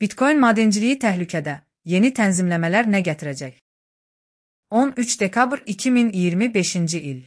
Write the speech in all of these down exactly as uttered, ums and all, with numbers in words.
Bitcoin madenciliği təhlükədə. Yeni tənzimləmələr nə gətirəcək? on üç dekabr iki min iyirmi beşinci il.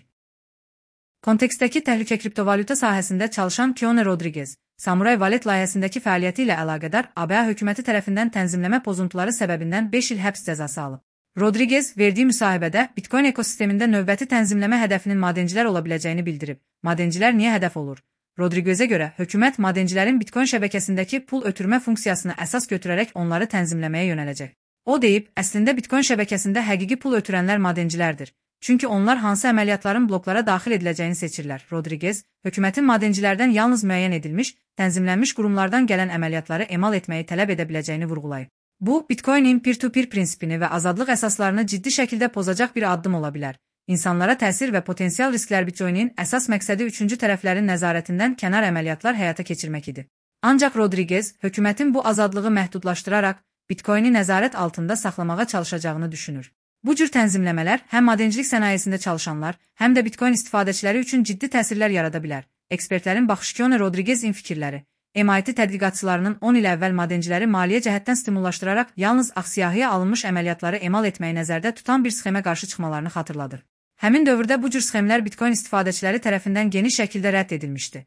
Kontekstdəki təhlükə kriptovalyuta sahəsində çalışan Keone Rodriguez, Samurai Wallet layihəsindəki fəaliyyəti ilə əlaqədar A B A hökuməti tərəfindən tənzimləmə pozuntuları səbəbindən beş il həbs cəzası alıb. Rodriguez verdiyi müsahibədə Bitcoin ekosistemində növbəti tənzimləmə hədəfinin madencilər ola biləcəyini bildirib. Madencilər niyə hədəf olur? Rodriguez'e görə hökumət madencilərin Bitcoin şəbəkəsindəki pul ötürmə funksiyasını əsas götürərək onları tənzimləməyə yönələcək. O deyib, əslində Bitcoin şəbəkəsində həqiqi pul ötürənlər madencilərdir. Çünki onlar hansı əməliyyatların bloklara daxil ediləcəyini seçirlər. Rodriguez, hökumətin madencilərdən yalnız müəyyən edilmiş, tənzimlənmiş qurumlardan gələn əməliyyatları emal etməyi tələb edə biləcəyini vurğulayıb. Bu, Bitcoinin peer-to-peer prinsipini və azadlıq əsaslarını ciddi şəkildə pozacaq bir addım ola bilər. İnsanlara təsir və potensial risklər Bitcoinin əsas məqsədi üçüncü tərəflərin nəzarətindən kənar əməliyyatlar həyata keçirmək idi. Ancaq Rodriguez, hökumətin bu azadlığı məhdudlaşdıraraq, Bitcoini nəzarət altında saxlamağa çalışacağını düşünür. Bu cür tənzimləmələr həm madencilik sənayesində çalışanlar, həm də Bitcoin istifadəçiləri üçün ciddi təsirlər yarada bilər. Ekspertlərin baxışı Keone Rodriguez'in fikirləri, M I T tədqiqatçılarının on il əvvəl madenciləri maliyyə cəhətdən stimullaşdıraraq yalnız ağ-siyahıya alınmış əməliyyatları emal etməyi nəzərdə tutan bir sxemə qarşı çıxmalarını xatırladır. Həmin dövrdə bu cür sxemlər Bitcoin istifadəçiləri tərəfindən geniş şəkildə rədd edilmişdi.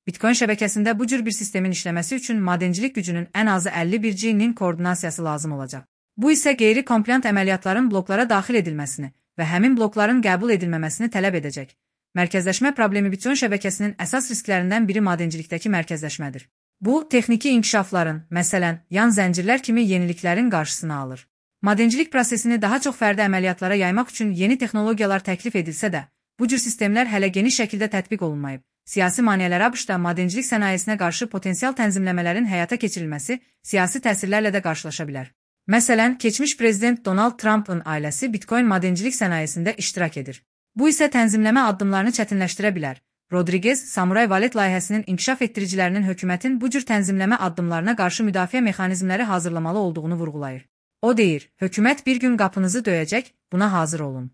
Bitcoin şəbəkəsində bu cür bir sistemin işləməsi üçün madencilik gücünün ən azı əlli bir G-nin koordinasiyası lazım olacaq. Bu isə qeyri-kompliant əməliyyatların bloklara daxil edilməsini və həmin blokların qəbul edilməməsini tələb edəcək. Mərkəzləşmə problemi Bitcoin şəbəkəsinin əsas risklərindən biri madencilikdəki mərkəzləşmədir. Bu, texniki inkişafların, məsələn, yan zəncirlər kimi yeniliklərin qarşısını alır. Madencilik prosesini daha çox fərdi əməliyyatlara yaymaq üçün yeni texnologiyalar təklif edilsə də, bu cür sistemlər hələ geniş şəkildə tətbiq olunmayıb. Siyasi maneələr ABŞ-da madencilik sənayesinə qarşı potensial tənzimləmələrin həyata keçirilməsi siyasi təsirlərlə də qarşılaşa bilər. Məsələn, keçmiş prezident Donald Trump'ın ailəsi Bitcoin madencilik sənayesində iştirak edir. Bu isə tənzimləmə addımlarını çətinləşdirə bilər. Rodriguez, Samurai Wallet layihəsinin inkişaf etdiricilərinin hökumətin bu cür tənzimləmə addımlarına qarşı müdafiə mexanizmləri hazırlamalı olduğunu vurğulayır. O deyir, hökumət bir gün qapınızı döyəcək, buna hazır olun.